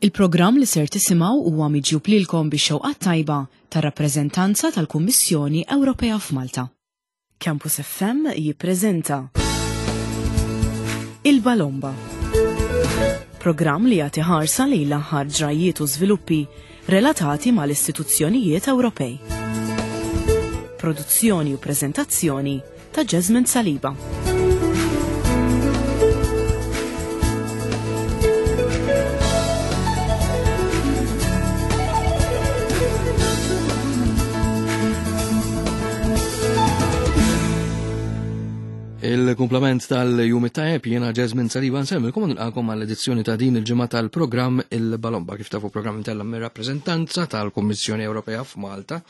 Il-programm li ser tisimgħu huwa miġjub lilkom bix-xewqa t-tajba tar-rappreżentanza tal-Kummissjoni Ewropea f'Malta. Campus FM jippreżenta Il-Balomba. Programm li jagħti ħarsa lejn l-aħħar ġrajjiet u żviluppi relatati mal-istituzzjonijiet Ewropej. Produzzjoni u preżentazzjoni ta' Jasmine Saliba. Il-kumplament tal-jum it-tajjeb jiena Jasmine Saliba nsemmilkom u nilqakom għall-edizzjoni ta' din il-ġimgħa tal-programm Il-Balomba kif tafu programm intella mir-rappreżentanza tal-Kummissjoni Ewropea f'Malta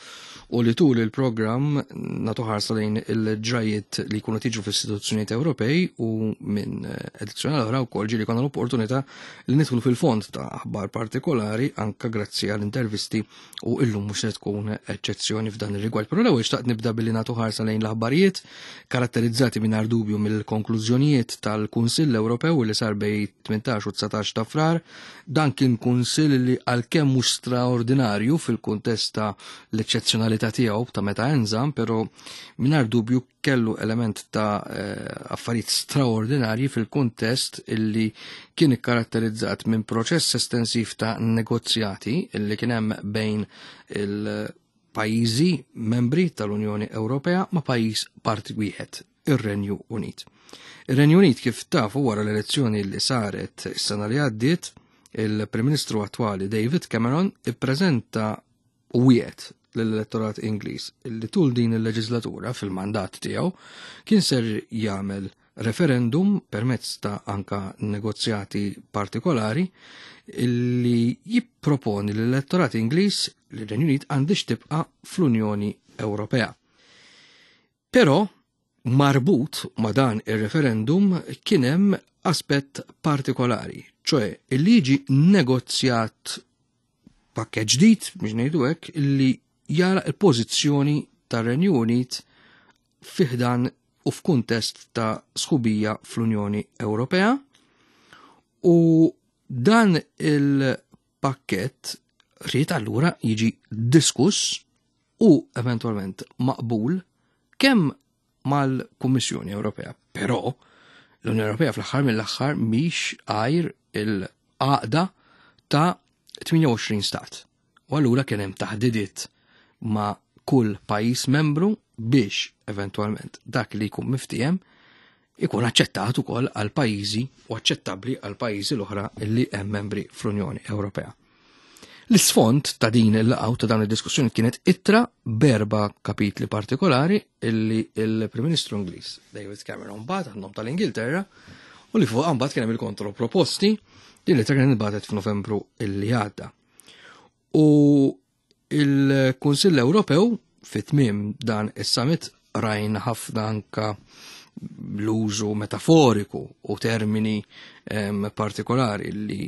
u li tul il-programm nagħtu ħarsa lejn il-ġrajiet li jkunu tiġu fl-istituzzjonijiet Ewropej u minn edizzjoni l-oħra wkoll ġieli konna l-opportunità li nidħlu fil-fond ta' aħbar partikolari anka grazzi għall intervisti u illum mhux se tkun eċċezzjoni f'dan ir-rigward. Però l-ewwel xtaqt nibda billi nagħtu ħarsa lejn l-aħbarijiet karatterizzati mingħajr dubju mill-konklużjonijiet tal-Kunsill Ewropew li sar bej 18 u 19 ta' Frar. Dan kien kunsill li għalkemm mhux straordinarju fil-kuntest ta' l-eċċezzjonalità tiegħu ta' meta enżam, però mingħajr dubju kellu element ta' eh, affarijiet straordinarji fil-kuntest illi kien ikkaratterizzat minn proċess estensiv ta' negozjati illi kien hemm bejn il-pajjiżi membri tal-Unjoni Ewropea ma' pajjiż parti wieħed, ir-Renju Unit. Ir-Renju Unit kif tafu wara l-elezzjoni li saret is-sena li għaddiet, il-Prim Ministru attwali David Cameron ippreżenta u wiegħed lill-elettorat Ingliż li tul din il-leġislatura fil-mandat tiegħu kien ser jagħmel referendum permezz ta' anka negozjati partikolari li jipproponi l-elettorat Ingliż li r-Renju Unit għandix tibqa' fl-Unjoni Ewropea. Però marbut ma' dan ir-referendum kien hemm aspett partikolari, ċoe li jiġi negozjat pakkett ġdid biex ngħidu hekk li jara l-pożizzjoni tar-Renju Unit fi ħdan u f'kuntest ta' sħubija fl-Unjoni Ewropea u dan il-pakkett ried allura jiġi diskuss u eventwalment maqbul kemm mal-Kummissjoni Ewropea. Però l-Unjoni Ewropea fl-aħħar mill-aħħar mhix għajr il-għaqda ta' 28 stat. U allura kien hemm taħdidiet ma' kull pajjiż membru biex eventwalment dak li jkun miftiehem ikun aċċettat ukoll għal pajjiżi u aċċettabbli għal pajjiżi l-oħra li hemm membri fl-Unjoni Ewropea. L-isfond ta' din il-laqgħa ta' dawn id-diskussjoni kienet ittra berba kapitli partikolari illi il-Prim Ministru Ingliż David Cameron bagħat għan-nom tal-Ingilterra u li fuq mbagħad kien hemm il-kontroproposti din l-ittra kienet bagħtet f'Novembru illi għadda. U il-Kunsill Ewropew fit-tmiem dan is-summit rajna ħafna anka l-użu metaforiku u termini partikolari li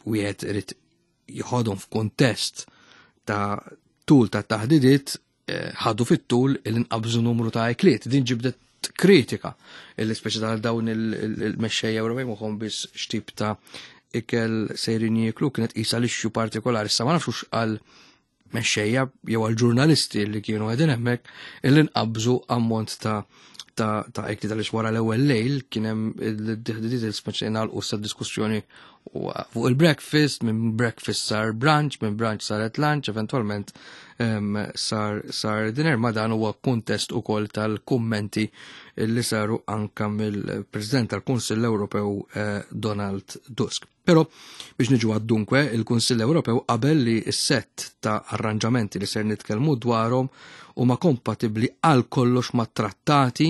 wieħed irid jħodhom f'kuntest ta' tul ta' taħdidiet eh, ħadu fit-tul il-inqabżu numru ta' ikliet. Din ġibdet kritika illi speċi tal dawn il-mexxejja Ewropej moħħhom biss x'tip ta' ikel sejrin jieklu kienet qisha l-issue partikolari. Issa ma nafx għal mexxejja jew għal ġurnalisti li kienu qegħdin hemmhekk illi nqabżu ammont ta' ta' ta' ikli tal wara l-ewwel lejl kien hemm il-diħdidiet il-speċi nagħlqu sa diskussjoni fuq il-breakfast, minn breakfast sar brunch, minn brunch saret lunch, eventualment sar, sar dinner, ma dan huwa kuntest ukoll tal-kummenti li saru anka mill-President tal-Kunsill Ewropew eh, Donald Tusk. Però biex niġu għad-dunkwe, il-Kunsill Ewropew qabel li s-sett ta' arranġamenti li ser nitkellmu dwarhom huma kompatibbli għal kollox ma' trattati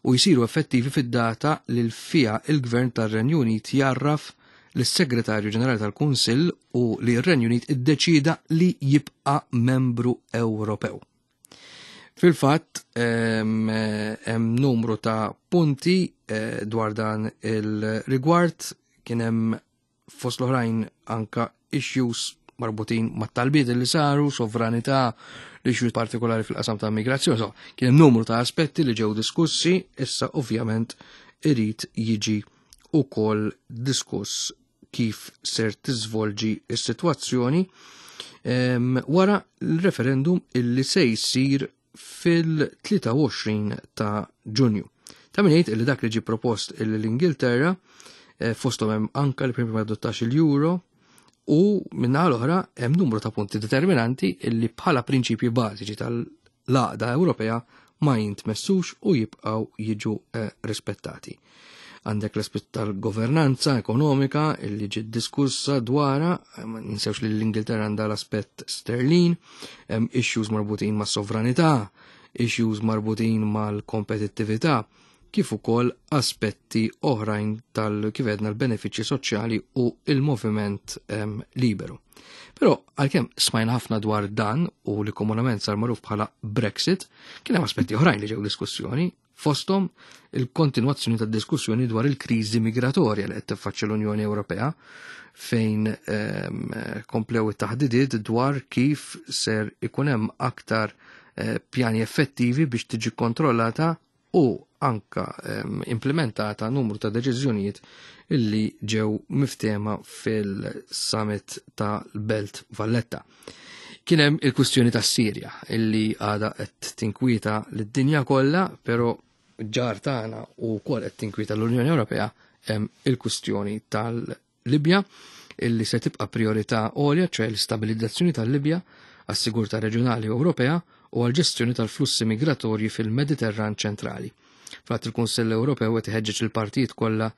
u jsiru effettivi fid-data li fija il-Gvern tar-Renju Unit jarraf lis-Segretarju Ġenerali tal-Kunsill u li r-Renju Unit iddeċida li jibqa' membru Ewropew. Fil-fatt, hemm numru ta' punti eh, dwar dan il-rigward kien hemm fost l-oħrajn anka issues marbutin ma' talbiet li saru, sovranità, l-issues partikolari fil-qasam ta' migrazzjoni. So, kien hemm numru ta' aspetti li ġew diskussi, issa ovvjament irid jiġi ukoll diskuss kif ser tiżvolġi s-sitwazzjoni wara l-referendum illi se jsir fil-23 ta' Ġunju. Ta' min jgħid illi dak li ġie propost illi l-Ingilterra eh, fosthom hemm anka li prima adottax il-euro u minnaħa l-oħra hemm numru ta' punti determinanti illi bħala prinċipji bażiċi tal-għaqda Ewropea ma jintmessux u jibqgħu jiġu eh, rispettati. Għandek l-aspett tal-governanza ekonomika illi ġiet diskussa dwara, eh, ma ninsewx li l-Ingilterra għandha l-aspett sterlin, hemm issues marbutin ma' sovranità, issues marbutin mal-kompetittività, kif ukoll aspetti oħrajn tal kif għedna l-benefiċċji soċjali u il-moviment liberu. Però għalkemm smajna ħafna dwar dan u li komunament sar magħruf bħala Brexit, kien hemm aspetti oħrajn li ġew diskussjoni, fosthom il-kontinwazzjoni tad-diskussjoni dwar il-kriżi migratorja li qed tiffaċċja l-Unjoni Ewropea fejn komplew it-taħdidiet dwar kif ser ikun hemm aktar eh, pjani effettivi biex tiġi kontrollata u anka implementata numru ta' deċiżjonijiet illi ġew miftema fil-summit ta' Belt Valletta. Kien hemm il-kwistjoni tas Sirja illi għada qed tinkwieta lid-dinja kollha, però ġar tagħna u wkoll qed tinkwieta l-Unjoni Ewropea hemm il-kwistjoni tal-Libja illi se tibqa' priorità għolja, ċoè l-istabilizzazzjoni tal-Libja għas-sigurtà reġjonali Ewropea u għall-ġestjoni tal-flussi migratorji fil-Mediterran ċentrali. Fatt il-Kunsill Ewropew qed iħeġġeġ il-partijiet kollha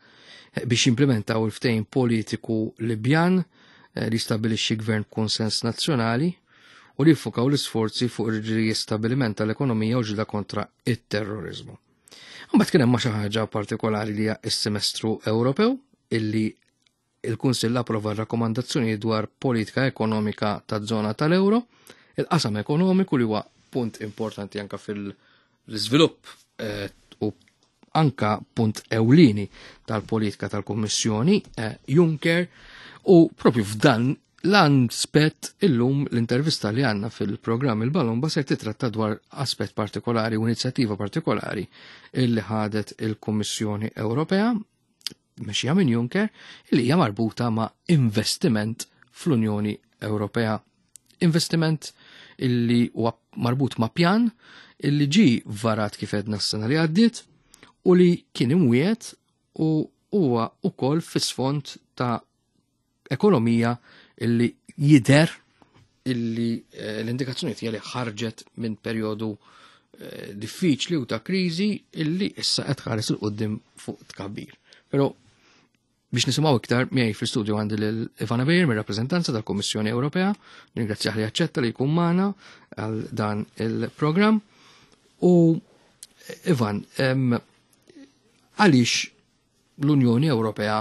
biex jimplementaw il-ftehim politiku Libjan eh, li jistabbilixxi gvern b'kunsens nazzjonali u li jiffukaw l-isforzi fuq ir-riestabiliment tal-ekonomija u ġlida kontra it-terrorizmu. Mbagħad kien hemm xi ħaġa partikolari li hija s-semestru Ewropew illi il-Kunsill approva r-rakkomandazzjonijiet dwar politika ekonomika taż-żona tal-euro, il-qasam ekonomiku li huwa punt importanti anka fil-iżvilupp eh, u anka punt ewlieni tal-politika tal-Kummissjoni eh, Juncker u propju f'dan l-aspett illum l-intervista li għanna fil-programm il-Balomba se titratta dwar aspett partikolari u inizjattiva partikolari illi ħadet il-Kummissjoni Ewropea mexxija minn Juncker li hija marbuta ma' investiment fl-Unjoni Ewropea. Investiment illi huwa marbut ma' pjan illi ġi varat kif edna s-sena li għaddiet u li kien imwiet u huwa ukoll fis-sfond ta' ekonomija illi jider illi eh, l-indikazzjoni hija li ħarġet minn perjodu eh, diffiċli u ta' kriżi illi issa qed ħares il qudiem fuq tkabbir. Però biex nisimgħu iktar miegħi fl-istudju għandi lil Ivana Bejr mir-rappreżentanza tal-Kummissjoni Ewropea, ringrazzjah li aċċetta li jkun magħna għal dan il-programm. U Ivan, għaliex l-Unjoni Ewropea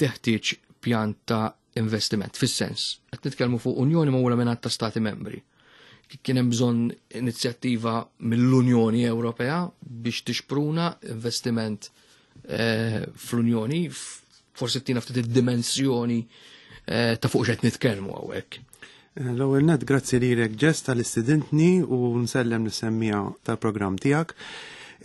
teħtieġ pjan ta' investiment, fis-sens, qed nitkellmu fuq Unjoni magħmula minn ta' stati membri. Kien hemm bżonn inizjattiva mill-Unjoni Ewropea biex tixpruna investiment eh, fl-Unjoni, forsi tina ftit id-dimensjoni eh, ta' fuq x'qed nitkellmu hawnhekk. Eh, l-ewwel net grazzi lilek Ġess tal-istidentni u nsellem lis-semmija tal-programm tiegħek.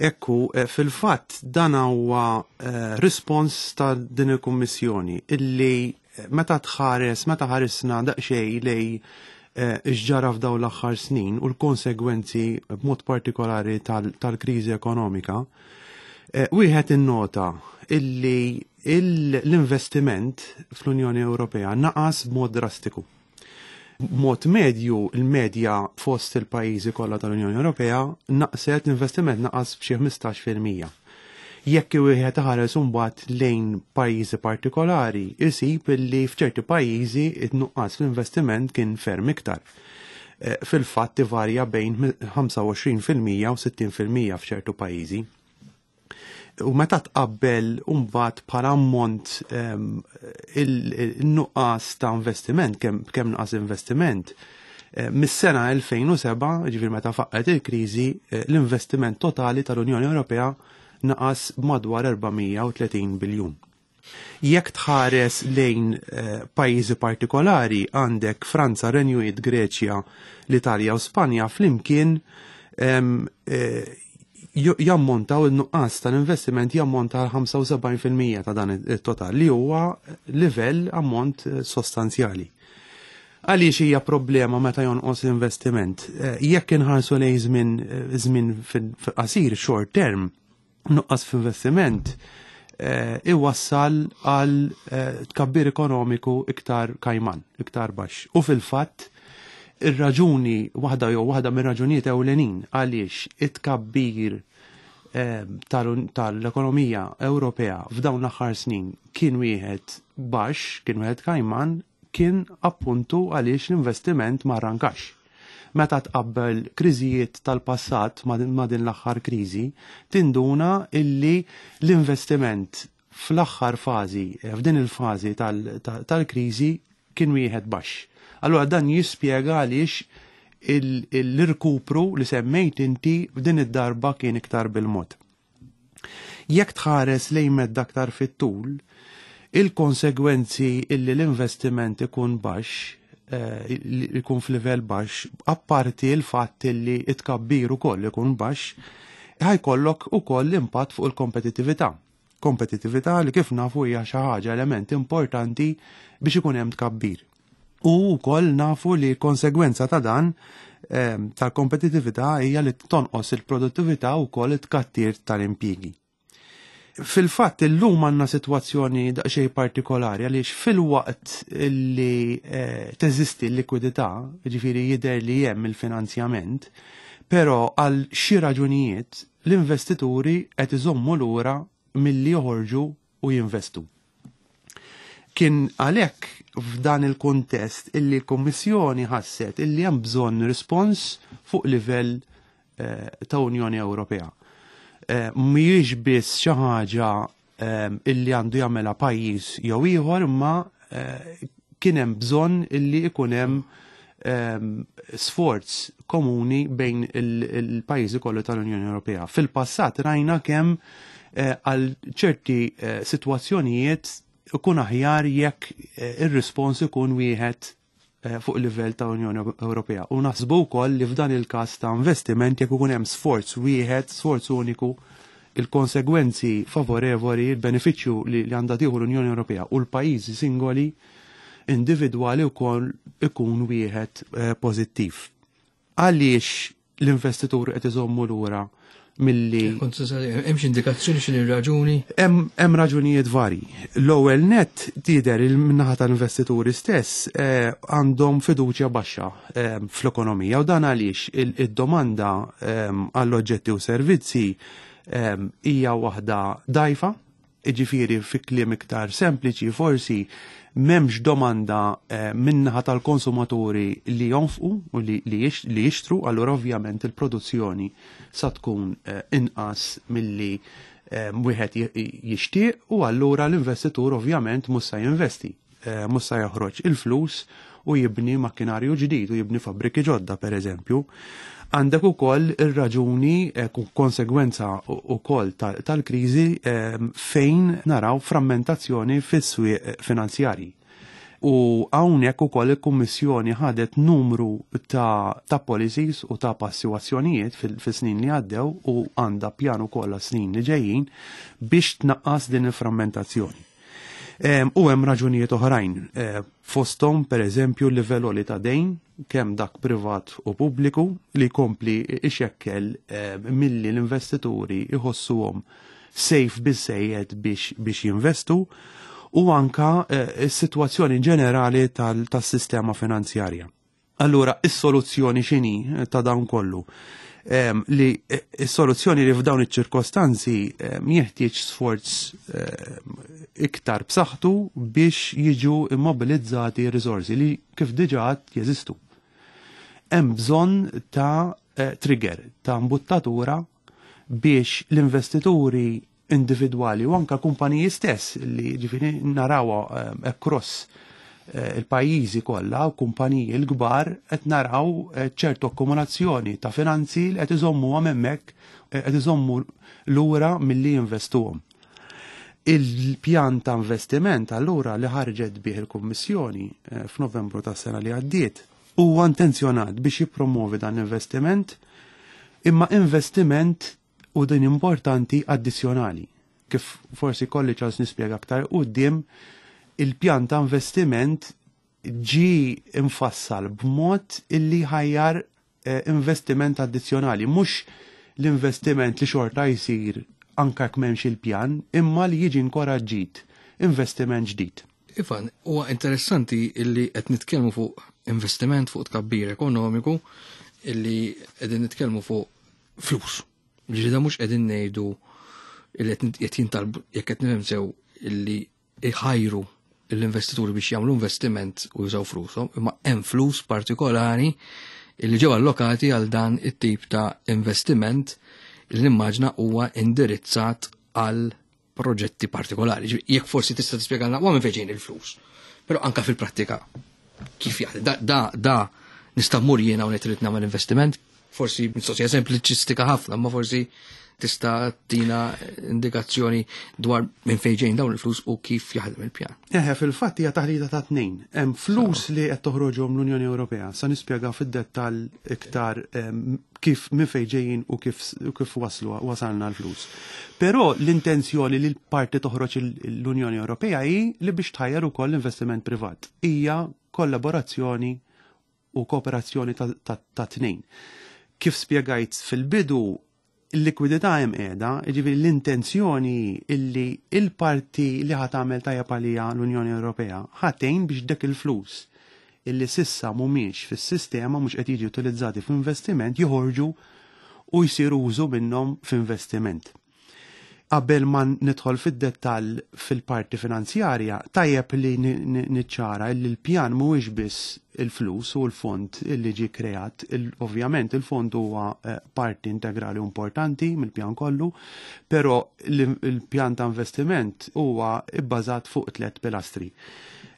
Ekku, eh, fil-fatt dan huwa eh, rispons ta' din il-Kummissjoni illi meta tħares, meta ħarisna daqsxejn lej x'ġara f'daw l-aħħar snin u l-konsegwenzi b'mod partikolari tal-kriżi ekonomika, wieħed innota illi l-investiment fl-Unjoni Ewropea naqas b'mod drastiku. B'mod medju, il-medja fost il-pajjiżi kollha tal-Unjoni Ewropea naqset l-investiment naqas b'xi 15%. Jekk wieħed iħares imbagħad lejn pajjiżi partikolari, isib li f'ċerti pajjiżi it-nuqqas fl-investiment kien ferm iktar. Eh, fil-fatt ivarja bejn 25% u 60% f'ċertu pajjiżi. U meta tqabbel mbagħad bħala ammont ehm, il-nuqqas ta' investiment, kemm nuqqas investiment, eh, mis-sena 2007, ġifier meta faqqet il-kriżi, eh, l-investiment totali tal-Unjoni Ewropea naqas madwar 430 biljun. Jekk tħares lejn eh, pajjiżi partikolari għandek Franza, Renju Unit, Greċja, l-Italja u Spanja flimkien eh, Jammontaw il-nuqqas tal-investiment jammonta għal 75% ta' dan it-total li huwa livell ammont sostanzjali. Għaliex hija problema meta jonqos l-investiment? Jekk inħarsu lejn żmien fil-qasir short term, nuqqas f'investiment iwassal għal tkabbir ekonomiku iktar kajman, iktar baxx. U fil-fatt, ir-raġuni waħda jew waħda mir-raġunijiet ewlenin għaliex it-tkabbir tal-ekonomija Ewropea f'dawn l-aħħar snin kien wieħed baxx, kien wieħed kajman, kien appuntu għaliex l-investiment ma rrankax. Meta tqabbel kriżijiet tal-passat ma' din l-aħħar kriżi, tinduna illi l-investiment fl-aħħar fażi, f'din il-fażi tal-kriżi kien wieħed baxx. Allura dan jispjega għaliex l-irkupru li semmejt inti f'din id-darba kien iktar bil-mod. Jekk tħares lejn medda aktar fit-tul, il-konsegwenzi illi l-investiment ikun baxx, ikun f'livell baxx, apparti l-fatt illi it-tkabbir ukoll ikun baxx, ħa jkollok ukoll impatt fuq il-kompetittività. Kompetittività li kif nafu hija xi ħaġa element importanti biex ikun hemm tkabbir. U wkoll nafu li konsegwenza ta' dan tal-kompetittività hija li tonqos il-produttività u wkoll it-tkattir tal-impjiegi. Fil-fatt illum għandna sitwazzjoni daqsxejn partikolari għaliex filwaqt li teżisti l-likwidità, ġifieri jidher li hemm il-finanzjament, però għal xi raġunijiet l-investituri qed iżommu lura milli joħorġu u jinvestu. Kien għalhekk f'dan il-kuntest illi l-Kummissjoni ħasset illi hemm bżonn rispons fuq livell ta' Unjoni Ewropea. Mhijiex biss xi ħaġa illi għandu jagħmilha pajjiż jew ieħor, imma kien hemm bżonn illi ikun hemm sforz komuni bejn il-pajjiżi kollu tal-Unjoni Ewropea. Fil-passat rajna kemm għal ċerti sitwazzjonijiet ikun aħjar jekk ir-rispons ikun wieħed fuq livell ta' Unjoni Ewropea. U naħsbu wkoll li f'dan il-każ ta' investiment jekk ikun hemm sforz wieħed, sforz uniku, il-konsegwenzi favorevoli, il-benefiċċju li għandha tieħu l-Unjoni Ewropea u l-pajjiżi singoli individwali wkoll ikun wieħed pożittiv. Għaliex l-investituri qed iżommu lura milli Kont hemm xi indikazzjoni x'inhi raġuni? Hemm raġunijiet varji. L-ewwel net tidher il-naħa tal-investituri stess għandhom fiduċja baxxa fl-ekonomija u dan għaliex id-domanda għall-oġġetti u servizzi hija waħda dajfa, jiġifieri fi kliem iktar sempliċi forsi m'hemmx domanda min-naħa tal-konsumaturi li jonfqu u li jixtru, allura ovvjament il-produzzjoni sa tkun inqas milli wieħed jixtieq u allura l-investitur ovvjament mhux se jinvesti, mhux se joħroġ il-flus u jibni makkinarju ġdid u jibni fabbriki ġodda per eżempju. Għandek ukoll ir-raġuni konsegwenza ukoll tal-kriżi fejn naraw frammentazzjoni fis-swieq finanzjarji. U hawnhekk ukoll il-Kummissjoni ħadet numru ta' policies u ta' passi u azzjonijiet fis-snin li għaddew u għandha pjan ukoll għas-snin li ġejjin biex tnaqqas din il-frammentazzjoni. U hemm raġunijiet oħrajn, fosthom per eżempju l-livell għoli ta' dejn, kemm dak privat u pubbliku, li jkompli ixekkel milli l-investituri jħossuhom safe biżejjed biex jinvestu, u anka s-sitwazzjoni ġenerali tas-sistema finanzjarja. Allura, is-soluzzjoni x'inhi ta' dawn kollu? Li is-soluzzjoni li f'dawn iċ-ċirkostanzi jeħtieġ sforz iktar b'saħħtu biex jiġu immobilizzati riżorsi li kif diġà jeżistu. Hemm bżonn ta' trigger, ta' imbuttatura biex l-investituri individwali u anka kumpaniji stess li ġifieri narawha across il-pajjiżi kollha u kumpaniji l-kbar qed naraw ċertu akkumulazzjoni ta' finanzi li qed iżommuhom hemmhekk, qed iżommu lura milli jinvestuhom. Il-pjan ta' investiment allura li ħarġet bih il-Kummissjoni f'Novembru tas-sena li għaddiet huwa intenzjonat biex jippromovi dan l-investiment, imma investiment u din importanti addizzjonali. Kif forsi kolli ċans nispjega aktar quddiem, il-pjan ta' investiment ġi infassal b'mod illi ħajjar investiment addizzjonali, mhux l-investiment li xorta jsir anke jekk m'hemmx il-pjan, imma li jiġi inkoraġġit investiment ġdid. Ivan, huwa interessanti illi qed nitkellmu fuq investiment, fuq tkabbir ekonomiku, illi qegħdin nitkellmu fuq flus. Ġifieri da mhux qegħdin ngħidu illi qed jintalbu, jekk qed nifhem sew, illi iħajru l-investituri biex jagħmlu investiment u jużaw flushom, imma hemm flus partikolari illi ġew allokati għal dan it-tip ta' investiment li nimmaġna huwa indirizzat għal proġetti partikolari. Ġifieri, jekk forsi tista' tispjegalna huwa minn fejn il-flus. Però anka fil-prattika kif jaħdem? Da nista' mmur jiena u ngħid irid nagħmel investiment, forsi mistoqsija sempliċistika ħafna, ma forsi tista' tina indikazzjoni dwar minn fejn ġejn dawn il-flus u kif jaħdem il-pjan. Eħe, fil-fatt hija taħlita ta' tnejn. Hemm flus li qed toħroġhom l-Unjoni Ewropea. Sa nispjega fid-dettall iktar kif minn fejn ġejjin u kif wasalna l-flus. Però l-intenzjoni li l-parti toħroġ l-Unjoni Ewropea hi li biex tħajjar ukoll l-investiment privat. Hija kollaborazzjoni u kooperazzjoni ta' tnejn. Kif spjegajt fil-bidu, il-likwidità hemm qiegħda, jiġifieri l-intenzjoni illi il-parti li ħa tagħmel tajjeb għalija l-Unjoni Ewropea ħatejn biex dak il-flus illi sissa mhumiex fis-sistema, mhux qed jiġi utilizzati f'investiment, joħorġu u jsiru użu minnhom f'investiment. Qabel ma nidħol fid-dettall fil-parti finanzjarja, tajjeb li niċċara li l-pjan mhuwiex biss il-flus u l-fond illi ġie kreat. Ovvjament il-fond huwa parti integrali importanti mill-pjan kollu, però il-pjan ta' investiment huwa bbażat fuq 3 pilastri.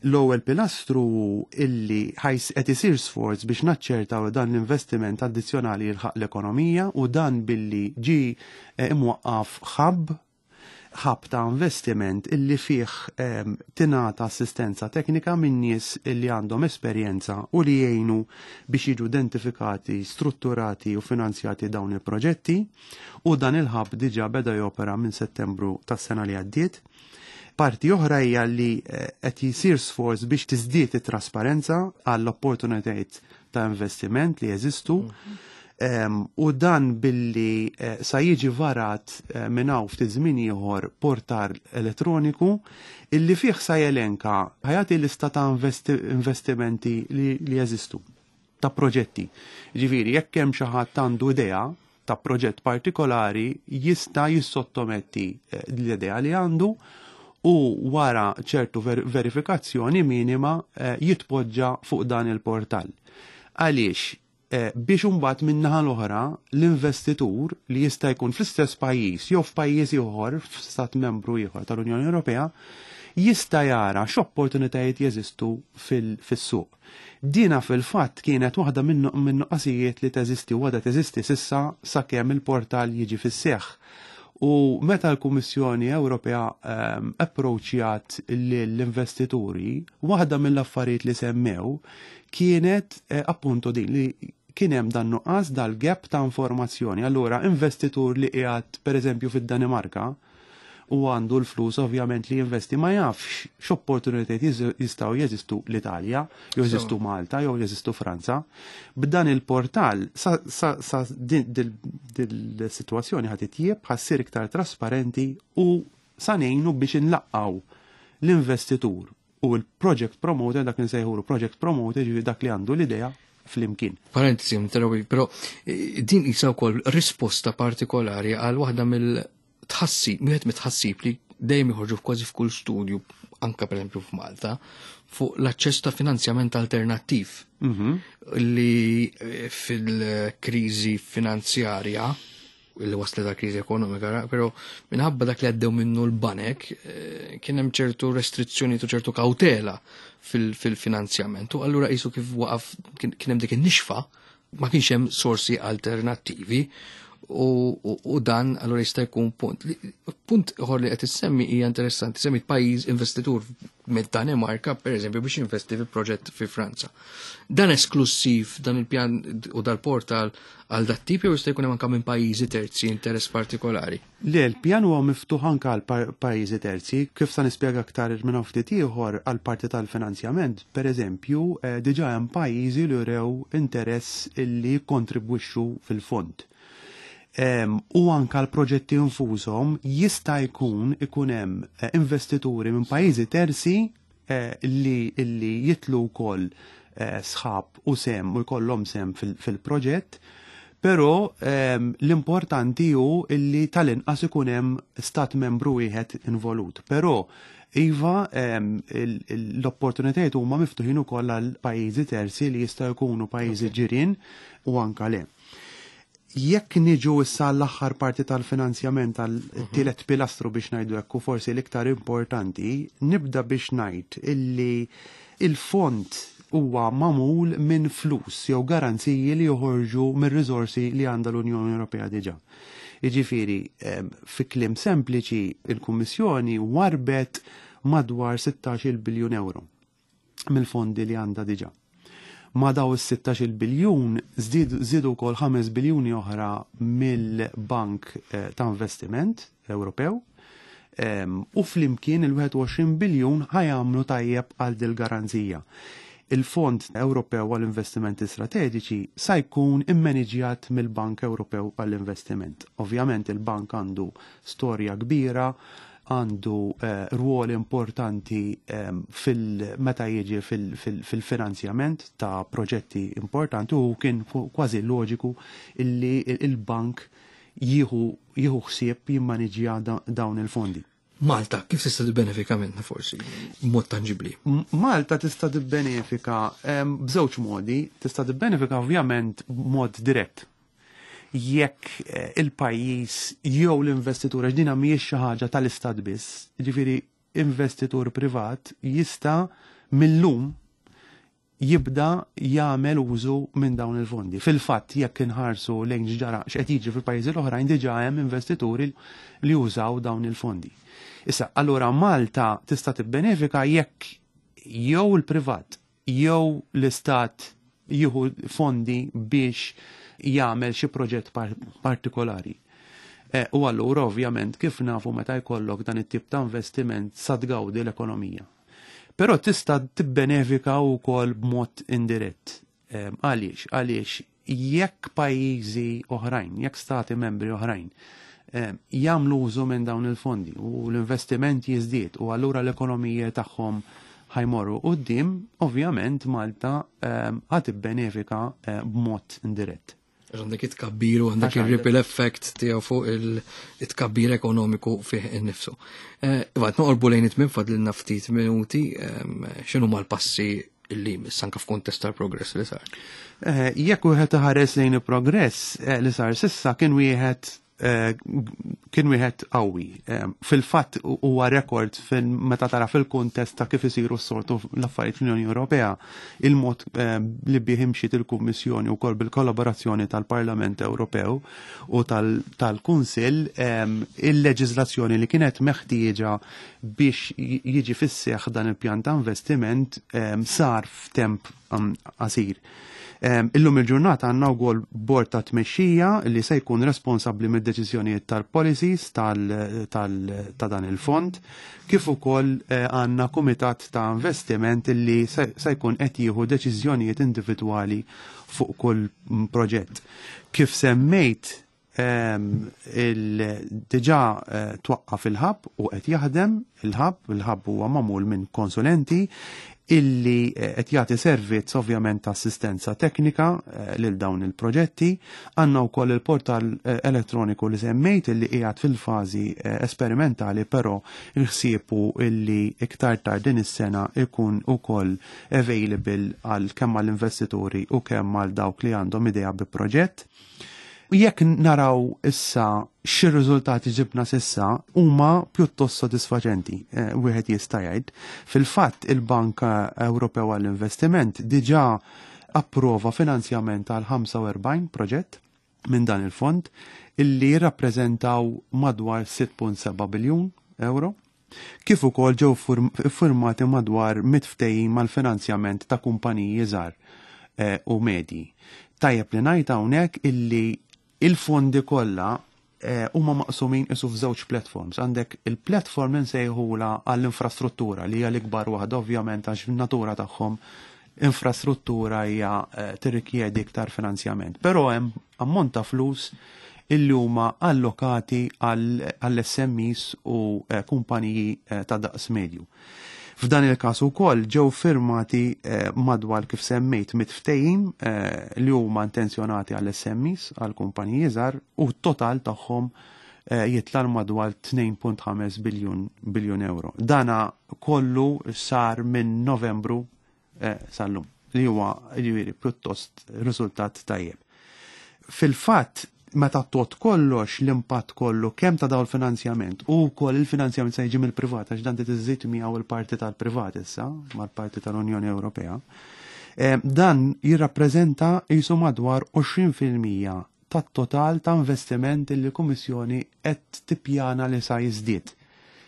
L-ewwel pilastru illi qed isir sforz biex naċċertaw dan l-investiment addizzjonali jilħaq l-ekonomija, u dan billi ġie imwaqqaf hub ta' investiment illi fih tingħata assistenza teknika minn nies illi għandhom esperjenza u li jgħinu biex jiġu identifikati, strutturati u finanzjati dawn il-proġetti, u dan il-hub diġà beda jopera minn Settembru tas-sena li għaddiet. Parti oħra hija li qed jisir sforz biex tiżdied it-trasparenza għall-opportunitajiet ta' investiment li jeżistu. U dan billi sa jiġi varat minn hawn ftit żmien ieħor portal elettroniku illi fih sa jelenka ħajati lista ta' investimenti li jeżistu, ta' proġetti. Ġifieri, jekk hemm xi ħadd għandu idea ta' proġett partikolari, jista' jissottometti l-idea li għandu u wara ċertu verifikazzjoni minima jitpoġġa fuq dan il-portal. Għaliex? Biex imbagħad min-naħa l-oħra l-investitur li jista' jkun fl-istess pajjiż jew f'pajjiż ieħor, f'stat membru ieħor tal-Unjoni Ewropea, jista' jara x'opportunitajiet jeżistu fis-suq. Dina fil-fatt kienet waħda minn nuqqasijiet li teżisti u għadha teżisti sissa sakemm il-portal jiġi fis-seħħ. U meta l-Kummissjoni Ewropea approċċjat lill-investituri, waħda mill-affarijiet li semmew kienet appunto din li kien hemm dan nuqqas dal-gap ta' informazzjoni. Allura investitur li qiegħed pereżempju fid-Danimarka u għandu l-flus ovvjament li jinvesti ma jafx x'opportunitajiet jistgħu jeżistu l-Italja, jew jeżistu Malta, jew jeżistu Franza. B'dan il-portal sa dil-sitwazzjoni ħad titjieb, ħa ssir iktar trasparenti u sa ngħinu biex inlaqqgħu l-investitur u l-project promoter, dak li nsejħulu project promoter, ġifieri dak li għandu l-idea flimkien. Parentesi, interrompi, però din isa wkoll risposta partikolari għal waħda mill-tħassib, wieħed mit-tħassib li dejjem joħorġu kważi f'kull studju, anka pereżempju f'Malta, fuq l-aċċess ta' finanzjament alternattiv li fil-kriżi finanzjarja li waslet għal kriżi ekonomika, però minħabba dak li għaddew minnu l-banek kien hemm ċertu restrizzjoni u ċertu kawtela fil-finanzjament. U allura qisu kif waqaf kien hemm dik in-nixfa, ma kienx hemm sorsi alternattivi. U dan allura jista' jkun punt. Punt ieħor li qed issemmi hija interessanti, semmi pajjiż investitur mid-Danimarka, pereżempju, biex jinvesti fi proġett fi Franza. Dan esklusiv dan il-pjan u dal-portal għal dat tip jew jista' jkun hemm anke minn pajjiżi terzi interess partikolari? Le, l-pjan huwa miftuħ anke għal pajjiżi terzi, kif sa nispjega aktar minn hawn ftit ieħor għal parti tal-finanzjament, pereżempju, eh, diġà hemm pajjiżi li rew interess illi jikkontribwixxu fil-fond. U anka l-proġetti infushom jista' jkun ikun hemm eh, investituri minn pajjiżi terzi eh, li illi jitlu wkoll eh, sħab u sem u jkollhom sem fil-proġett, però l-importanti hu illi tal-inqas ikun hemm stat membru wieħed involut. Però Iva, l-opportunitajiet huma miftuħin ukoll għal pajjiżi terzi li jistgħu jkunu pajjiżi ġirien u anka le. Jekk niġu issa l-aħħar parti tal-finanzjament tal-tielet pilastru biex ngħidu hekk u forsi l-iktar importanti, nibda biex ngħid illi il-fond huwa magħmul minn flus jew garanziji li joħorġu mir-riżorsi li għandha l-Unjoni Ewropea diġà. Jiġifieri, fi kliem sempliċi, il-Kummissjoni warbet madwar 16 biljun euro mill-fondi li għandha diġà. Ma daw is-16 biljun żdiedu wkoll 5 biljuni oħra mill-Bank eh, ta' Investiment Ewropew u flimkien il-21 biljun ħajamlu tajjeb għal dil-garanzija. Il-Fond Ewropew għall-Investimenti Strateġiċi sa jkun immaniġjat mill-Bank Ewropew għall-Investiment. Ovvjament il-bank għandu storja kbira, għandu eh, rwol importanti eh, fil-meta jiġi fil-finanzjament ta' proġetti importanti u kien kważi loġiku illi il-bank jieħu jieħu ħsieb jimmaniġja dawn il-fondi. Malta, kif tista' tibbenefika minnha forsi b'mod tanġibbli? Malta tista' tibbenefika b'żewġ modi, tista' tibbenefika ovvjament b'mod dirett. Jekk eh, il-pajjiż jew l-investitur għax dina mhijiex xi ħaġa tal-istat biss, jiġifieri investitur privat jista' millum jibda jagħmel użu minn dawn il-fondi. Fil-fatt jekk inħarsu lejn x'ġara x'qed jiġri fil-pajjiżi l-oħrajn diġà hemm investituri li jużaw dawn il-fondi. Issa, allura Malta tista' tibbenefika jekk jew il-privat jew l-istat jieħu fondi biex jagħmel xi proġett partikolari. Eh, u allura ovvjament kif nafu meta jkollok dan it-tip ta' investiment sa tgawdi l-ekonomija. Però tista' tibbenefika wkoll b'mod indirett. Ehm, għaliex? Għaliex jekk pajjiżi oħrajn, jekk stati membri oħrajn ehm, jagħmlu użu minn dawn il-fondi u l-investiment jiżdied u allura l-ekonomija tagħhom ħajmorru quddiem, ovvjament Malta ehm, ħad tibbenefika eh, b'mod indirett. Għandek it-tkabbir u għandek il-ripple effect tiegħu fuq il-tkabbir ekonomiku fih innifsu. Eh, iva, noqorbu lejn it-tmiem fadlilna ftit minuti, ehm, x'inhu mal-passi li jmiss anke f'kuntest tal-progress li sar? Eh, jekk wieħed iħares lejn il-progress eh, li sar sissa kien wieħed Eh, kien wieħed qawwi. Eh, fil-fatt huwa rekord meta tara fil-kuntest ta' kif isiru s-sortu l-affarijiet fl-Unjoni Ewropea, il-mod eh, li bih imxiet il-Kummissjoni wkoll bil-kollaborazzjoni tal-Parlament Ewropew u tal-Kunsill, il-leġiżlazzjoni li kienet meħtieġa biex jiġi fis-seħħ dan il-pjan ta' investiment sar f'temp qasir. Illum il-ġurnata għandna wkoll bord ta' tmexxija li se jkun responsabbli mid-deċiżjonijiet tal-policies ta' dan il-fond, kif ukoll eh, għandna kumitat ta' investiment li se jkun qed jieħu deċiżjonijiet individwali fuq kull proġett. Kif semmejt Diġà eh, twaqqaf il-hub u qed jaħdem il-hub, il-hub huwa magħmul minn konsulenti illi eh, qed jagħti servizz ovvjament ta' assistenza teknika eh, lil dawn il-proġetti. Għandna wkoll il-portal elettroniku li semmejt illi qiegħed fil-fażi esperimentali però il-ħsiebu illi iktar tard din is-sena ikun ukoll available għal kemm għall-investituri u kemm għal dawk li għandhom idea bi proġett. Jekk naraw issa xi riżultati ġibna s'issa huma pjuttost sodisfaċenti, eh, wieħed jista' jgħid. Fil-fatt il-Bank Ewropew għall-Investiment diġà approva finanzjament għal 45 proġett minn dan il-fond. illi jirrappreżentaw madwar 6.7 biljun euro, kif ukoll ġew iffirmati madwar 100 ftehim mal-finanzjament ta' kumpaniji żgħar eh, u medji. Tajjeb li ngħid hawnhekk illi il-fondi kollha eh, huma maqsumin isu f'żewġ platforms. Għandek il-platform li nsejħula għall-infrastruttura li hija l-ikbar waħda ovvjament għax natura tagħhom infrastruttura hija eh, tirrikjedi iktar finanzjament. Però hemm ammont ta' flus illi huma allokati għall-SMEs u eh, kumpaniji eh, ta' daqs medju. F'dan il-każ ukoll ġew firmati madwar kif semmejt mit-ftehim li huma intenzjonati għall-SMEs, għall kumpaniji żgħar u t-total tagħhom jitla' madwar 2.5 biljun biljun euro. Dana kollu sar minn Novembru eh, sal-lum li huwa ġifieri pjuttost riżultat tajjeb. Fil-fatt, meta tot kollox l-impatt kollu kemm ta' dawn il-finanzjament u wkoll il-finanzjament se jiġi mill-privat għax dan tiżżid miegħu il-parti tal-privat issa mal-parti tal-Unjoni Ewropea. Eh, dan jirrappreżenta jisu madwar 20% tat-total ta' investiment li l-Kummissjoni qed tippjana li sa jiżdied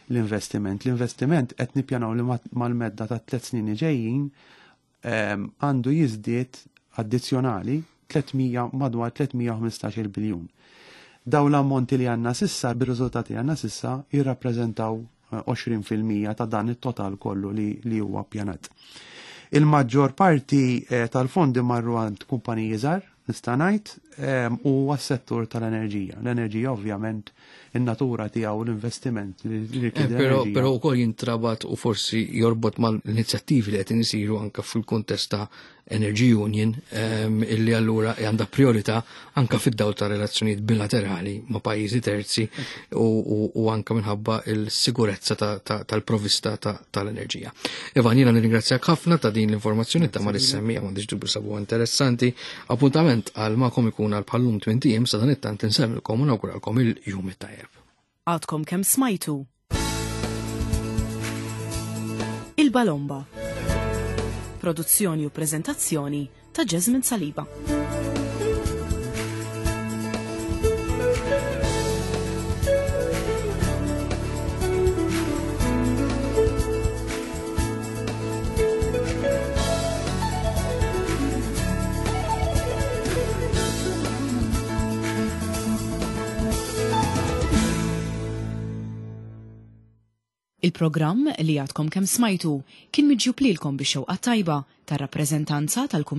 l-investiment. L-investiment qed nippjanaw li mal-medda ta' tliet snin li ġejjin ehm, għandu jiżdied addizzjonali 300 madwar 315 biljun. Daw l-ammonti li għanna sissa, bir-riżultati li għanna sissa, jirrappreżentaw 20% eh, ta' dan it-total kollu li, li huwa ppjanat. Il-maġġor parti eh, tal-fondi marru għand kumpaniji żgħar, nista' ngħid, ehm, u għas-settur tal-enerġija. L-enerġija ovvjament in-natura tiegħu l-investiment li eh, Però però wkoll jintrabat u forsi jorbot mal-inizjattivi li qed isiru anke fil-kuntest ta' Energy Union ehm, illi allura għandha priorità anka fid-dawl ta' relazzjonijiet bilaterali ma' pajjiżi terzi u anka minħabba il-sigurezza tal-provista tal-enerġija. Ivan, jiena nirringrazzjak ħafna ta' din l-informazzjoni ta' ma' l-semmi għandix dubju sabu interessanti. Appuntament għal ma'kom ikun għal bħallum 20 sa dan it-tant insemmilkom u nawguralkom il-jum it-tajjeb. Għadkom kemm smajtu Il-Balomba. Produzzjoni u preżentazzjoni ta' Jasmine Saliba. Il-programm li għadkom kemm smajtu kien miġjub lilkom bix-xewqa tajba tar-rappreżentanza tal-Kummissjoni.